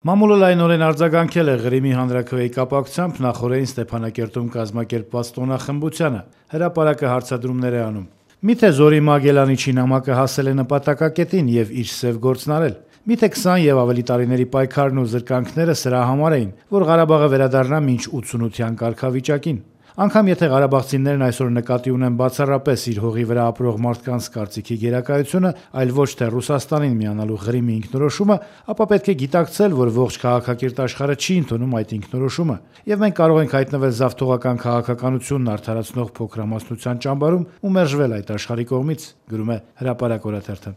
Մամուլը լայնորեն արձագանքել է Ղրիմի հանրաքվեի կապակցությամբ նախօրեին Ստեփանակերտում կազմակերպված տոնախմբությանը, հրապարակը հարցադրումներ է անում. Միթե Զորի Մագելանիչի նամակը հասել է նպատակակետին եւ իր սև գործն արել: Միթե 20 եւ ավելի տարիների պայքարն ու զրկանքները սրա համար էին, որ Ղարաբաղը վերադառնա մինչ 88-յան կարգավիճակին: Անգամ եթե ղարաբաղցիներն այսօր նկատի ունեն բացառապես իր հողի վրա ապրող մարդկանց կարծիքի գերակայությունը, այլ ոչ թե Ռուսաստանին միանալու Ղրիմի ինքնորոշումը, ապա պետք է գիտակցել, որ ողջ քաղաքակիրթ աշխարհը չի ընդունում այդ ինքնորոշումը, եւ մենք կարող ենք հայտնվել զավթողական քաղաքականությունն արդարացնող փոքրամասնության ճամբարում ու մերժվել այդ աշխարհի կողմից, գրում է Հրապարակ օրաթերթը: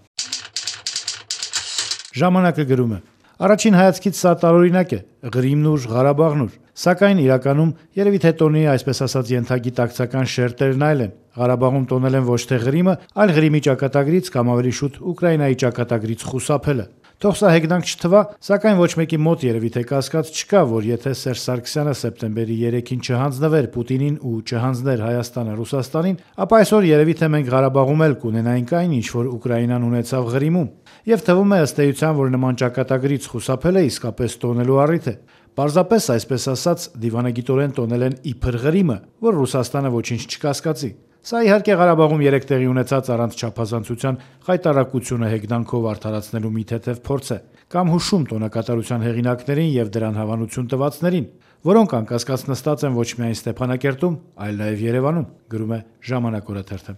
Ժամանակը գրում է. Առաջին հայացքից սա տարօրինակ է, Ղրիմն ուր, Ղարաբաղն ուր: Սակայն իրականում երևի թե տոնի այսպես ասած ենթագիտակցական շերտերն այլ են: Ղարաբաղում տոնել են ոչ թե Ղրիմը, այլ Ղրիմի ճակատագրից կամ ավելի շուտ Ուկրաինայի ճակատագրից խուսափելը: Թող սա հեգնանք չթվա, սակայն ոչ մեկի մոտ երևի թե կասկած չկա, որ եթե Սերժ Սարգսյանը սեպտեմբերի 3-ին չհանձնվեր Պուտինին ու չհանձներ Հայաստանը Ռուսաստանին, ապա այսօր երևի թե մենք Ղարաբաղում էլ կունենայինք այն, ինչ որ Ուկրաինան ունեցավ Ղրիմում: Եվ թվում է ըստ էության, որ նման ճակատագրից խուսափելը իսկապես տոնելու առիթ է: Պարզապես այսպես ասած դիվանագիտորեն տոնել են իբր Ղրիմը, որ Ռուսաստանը ոչինչ չկասկածի: Սա իհարկե Ղարաբաղում երեկ տեղի ունեցած առանց չափազանցության խայտառակությունը հեգնանքով արդարացնելու մի թեթև փորձ է, կամ հուշում տոնակատարության հեղինակներին եւ դրան հավանություն տվածներին, որոնք անկասկած նստած են ոչ միայն Ստեփանակերտում, այլ նաեւ Երևանում, գրում է Ժամանակ օրաթերթը: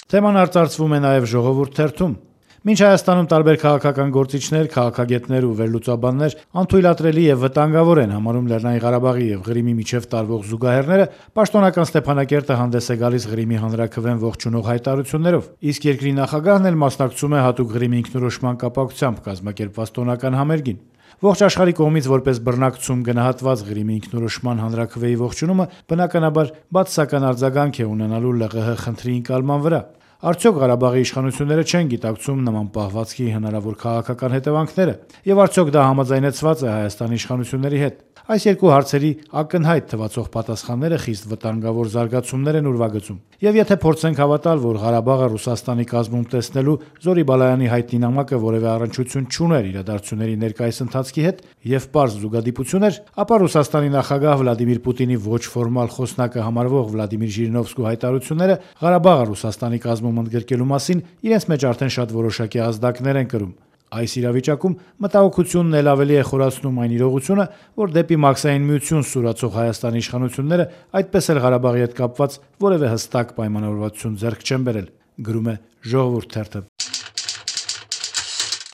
Թեման արծարծվում է նաեւ Ժողովուրդ թերթում. Մինչ Հայաստանում տարբեր քաղաքական գործիչներ, քաղաքագետներ ու վերլուծաբաններ անթույլատրելի եւ վտանգավոր են համարում Լեռնային Ղարաբաղի եւ Ղրիմի միջեւ տարվող զուգահեռները, պաշտոնական Ստեփանակերտը հանդես է գալիս Ղրիմի հանրաքվեն ողջունող հայտարարություններով, իսկ երկրի նախագահն էլ մասնակցում է հատուկ Ղրիմի ինքնորոշման կապակցությամբ կազմակերպված տոնական համերգին: Ողջ աշխարհի կողմից որպես բռնակցում գնահատված Ղրիմի ինքնորոշման հանրաքվեի ողջունումը բնականաբար բացասական արձագանք է ունենալու ԼՂՀ խնդրի ընկալման վրա: Արդյոք Ղարաբաղի իշխանությունները չեն գիտակցում նման պահվածքի հնարավոր քաղաքական հետևանքները, եւ արդյոք դա համաձայնեցված է Հայաստանի իշխանությունների հետ: Այս երկու հարցերի ակնհայտ թվացող պատասխանները խիստ վտանգավոր զարգացումներ են ուրվագծում: Եվ եթե փորձենք հավատալ, որ Ղարաբաղը Ռուսաստանի կազմում տեսնելու Զորի Բալայանի հայտնի նամակը որեւէ առնչություն չուներ իրադարձությունների ներկայիս ընթացքի հետ եւ պարզ զուգադիպություն էր, ապա Ռուսաստանի նախագահ Վլադիմիր Պուտինի ոչ ֆորմալ խոսնակը համարվող Վլադիմիր Ժիրինովսկու հայտարարությունները Ղարաբաղը Ռուսաստանի կազմում ընդգրկելու մասին իրենց մեջ արդեն շատ որոշակի ազդակներ են կրում: Այս իրավիճակում մտահոգությունն էլ ավելի է խորացնում այն իրողությունը, որ դեպի Մաքսային միություն սուրացող Հայաստանի իշխանությունները այդպես էլ Ղարաբաղի հետ կապված որեւէ հստակ պայմանավորվածություն ձեռք չեն բերել, գրում է Ժողովուրդ թերթը: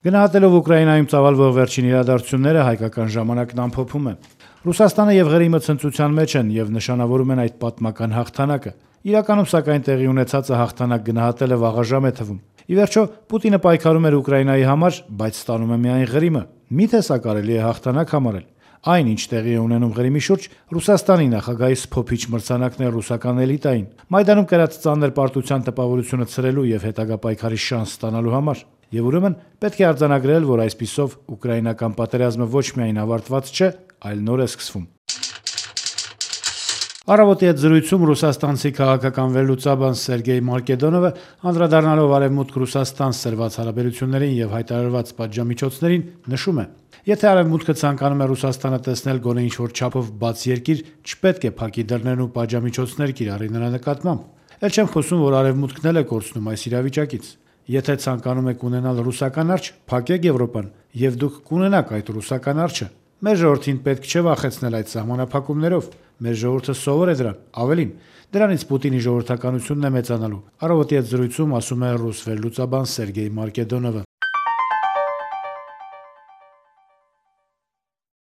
Գնահատելով Ուկրաինայում ծավալվող վերջին իրադարձությունները Հայկական ժամանակն ամփոփում է. Ռուսաստանը եւ Ղրիմը ցնծության մեջ են եւ նշանավորում են այդ պատմական հաղթանակը: Իրականում սակայն տեղի ունեցածը հաղթանակ գնահատելը վաղաժամ է թվում: Ի վերջո Պուտինը պայքարում էր Ուկրաինայի համար, բայց ստանում է միայն Ղրիմը: Միթե սա կարելի է հաղթանակ համարել: Այն, ինչ տեղի է ունենում Ղրիմի շուրջ, Ռուսաստանի նախագահի սփոփիչ մրցանակն է ռուսական էլիտային, Մայդանում կրած ծանր պարտության տպավորությունը ցրելու եւ հետագա պայքարի շանս ստանալու համար: Եվ ուրեմն պետք է արձանագրել, որ այսպիսով ուկրաինական պատերազմը ոչ միայն ավարտված չէ, այլ նոր է սկսվում: Առավոտի հետ զրույցում ռուսաստանցի քաղաքական վերլուծաբան Սերգեյ Մարկեդոնովը, անդրադառնալով Արևմուտք-Ռուսաստան սրված հարաբերություններին եւ հայտարարված պատժամիջոցներին, նշում է. Եթե Արևմուտքը ցանկանում է Ռուսաստանը տեսնել գոնե ինչ-որ չափով բաց երկիր, չպետք է փակի դռներն ու պատժամիջոցներ կիրառի նրա նկատմամբ: Էլ չեմ խոսում, որ Արևմուտքն էլ է կորցնում այս իրավիճակից: Եթե ցանկանում եք ունենալ ռուսական արջը, փակեք Եվրոպան, եւ դուք կունենաք այդ ռուսական արջը: Մեր ժողովրդին պետք չէ վախեցնել այդ սահմանափակումներով: Մեր ժողովուրդը սովոր է դրան: Ավելին, դրանից Պուտինի ժողովրդականությունն է մեծանալու: Առավոտի հետ զրույցում ասում է ռուս վերլուծաբան Սերգեյ Մարկեդոնովը: